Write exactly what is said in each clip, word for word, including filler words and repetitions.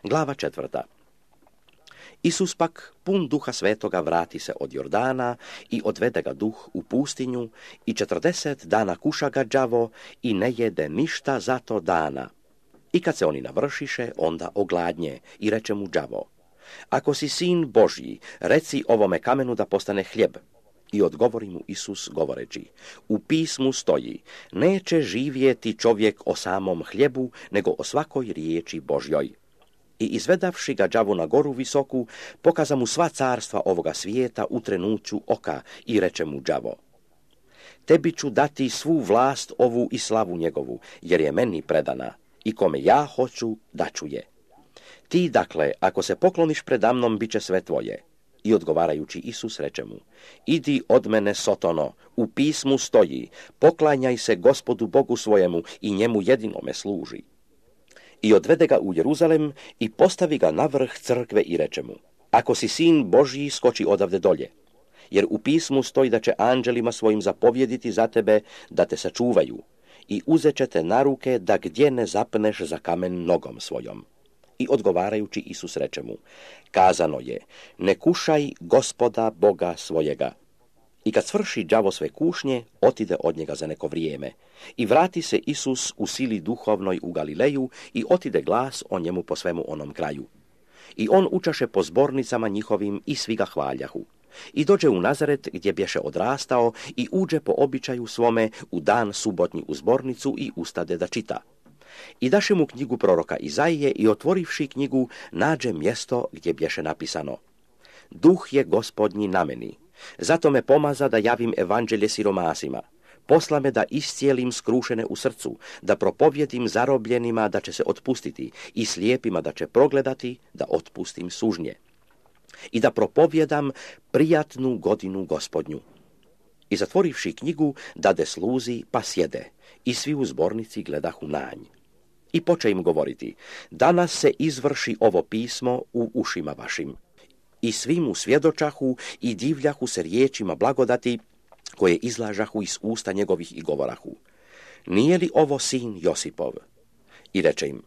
Glava četvrta. Isus pak, pun duha svetoga, vrati se od Jordana i odvede ga duh u pustinju i četrdeset dana kuša ga đavo i ne jede ništa za to dana. I kad se oni navršiše, onda ogladnje i reče mu đavo: Ako si sin Božji, reci ovome kamenu da postane hljeb. I odgovori mu Isus govoreći: U pismu stoji, neće živjeti čovjek o samom hljebu, nego o svakoj riječi Božjoj. I izvedavši ga đavo na goru visoku, pokaza mu sva carstva ovoga svijeta u trenuću oka i reče mu đavo: Tebi ću dati svu vlast ovu i slavu njegovu, jer je meni predana, i kome ja hoću daću je. Ti, dakle, ako se pokloniš predamnom, bit će sve tvoje. I odgovarajući Isus reče mu: Idi od mene, Sotono, u pismu stoji, poklanjaj se Gospodu Bogu svojemu i njemu jedinome služi. I odvede ga u Jeruzalem i postavi ga na vrh crkve i reče mu: Ako si sin Božji, skoči odavde dolje, jer u pismu stoji da će anđelima svojim zapovjediti za tebe da te sačuvaju i uzet će te na ruke da gdje ne zapneš za kamen nogom svojom. I odgovarajući Isus reče mu: Kazano je, ne kušaj Gospoda Boga svojega. I kad svrši đavo sve kušnje, otide od njega za neko vrijeme. I vrati se Isus u sili duhovnoj u Galileju i otide glas o njemu po svemu onom kraju. I on učaše po zbornicama njihovim i svi ga hvaljahu. I dođe u Nazaret gdje bješe odrastao i uđe po običaju svome u dan subotnji u zbornicu i ustade da čita. I daše mu knjigu proroka Izaije i otvorivši knjigu nađe mjesto gdje bješe napisano: Duh je Gospodnji na meni, zato me pomaza da javim evanđelje siromasima, posla me da iscijelim skrušene u srcu, da propovjedim zarobljenima da će se otpustiti i slijepima da će progledati, da otpustim sužnje, i da propovjedam prijatnu godinu Gospodnju. I zatvorivši knjigu, dade sluzi, pa sjede, i svi u zbornici gledahu nanj. I poče im govoriti: Danas se izvrši ovo pismo u ušima vašim. I svi mu svjedočahu i divljahu se riječima blagodati koje izlažahu iz usta njegovih i govorahu: Nije li ovo sin Josipov? I reče im: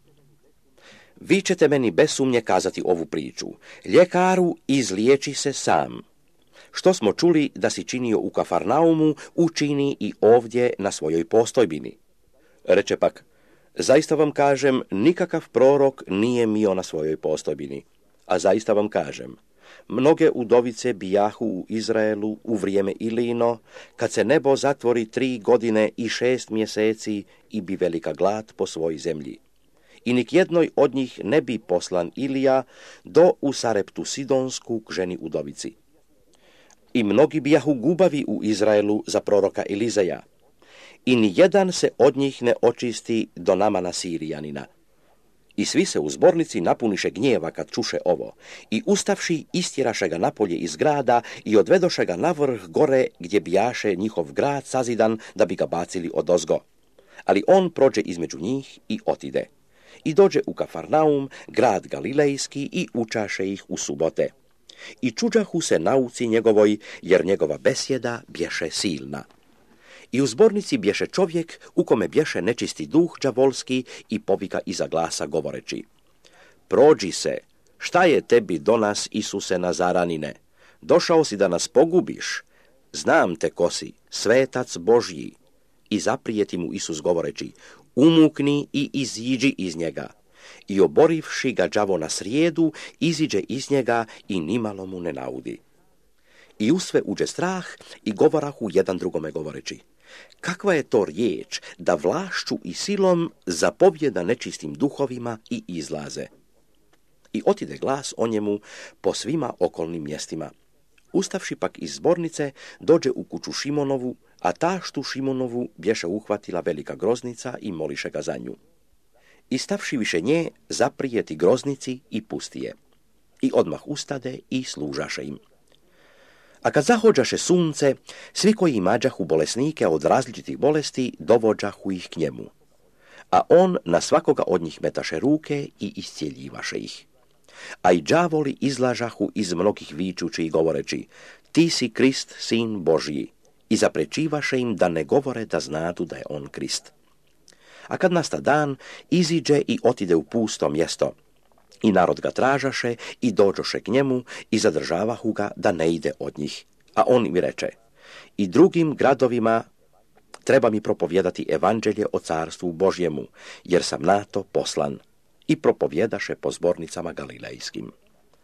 Vi ćete meni bez sumnje kazati ovu priču: Ljekaru, izliječi se sam. Što smo čuli da si činio u Kafarnaumu, učini i ovdje na svojoj postojbini. Reče pak: Zaista vam kažem, nikakav prorok nije mio na svojoj postojbini. A zaista vam kažem, mnoge udovice bijahu u Izraelu u vrijeme Ilino, kad se nebo zatvori tri godine i šest mjeseci i bi velika glad po svoj zemlji. I nik jednoj od njih ne bi poslan Ilija do u Sareptu Sidonsku k ženi udovici. I mnogi bijahu gubavi u Izraelu za proroka Elizeja, i ni jedan se od njih ne očisti do Namana Sirijanina. I svi se u zbornici napuniše gnjeva kad čuše ovo, i ustavši istjeraše ga napolje iz grada i odvedoše ga na vrh gore gdje bijaše njihov grad sazidan da bi ga bacili odozgo. Ali on prođe između njih i otide. I dođe u Kafarnaum, grad Galilejski, i učaše ih u subote. I čuđahu se nauci njegovoj, jer njegova besjeda bješe silna. I u zbornici bješe čovjek u kome bješe nečisti duh đavolski i povika iza glasa govoreći: Prođi se, šta je tebi do nas, Isuse Nazaranine? Došao si da nas pogubiš? Znam te ko si, svetac Božji. I zaprijeti mu Isus govoreći: Umukni i iziđi iz njega. I oborivši ga đavo na srijedu, iziđe iz njega i nimalo mu ne naudi. I u sve uđe strah i govorahu jedan drugome govoreći: Kakva je to riječ da vlašću i silom zapovjeda nečistim duhovima i izlaze? I otide glas o njemu po svima okolnim mjestima. Ustavši pak iz zbornice, dođe u kuću Šimonovu, a taštu Šimonovu bješe uhvatila velika groznica i moliše ga za nju. I stavši više nje, zaprijeti groznici i pusti je. I odmah ustade i služaše im. A kad zahođaše sunce, svi koji imađahu bolesnike od različitih bolesti, dovođahu ih k njemu. A on na svakoga od njih metaše ruke i iscijeljivaše ih. A i đavoli izlažahu iz mnogih vičući i govoreći: Ti si Krist, sin Božji, i zaprečivaše im da ne govore da znadu da je on Krist. A kad nasta dan, iziđe i otide u pusto mjesto. I narod ga tražaše i dođoše k njemu i zadržavahu ga da ne ide od njih. A on mi reče, i drugim gradovima treba mi propovjedati evanđelje o carstvu Božjemu, jer sam na to poslan. I propovjedaše po zbornicama galilejskim.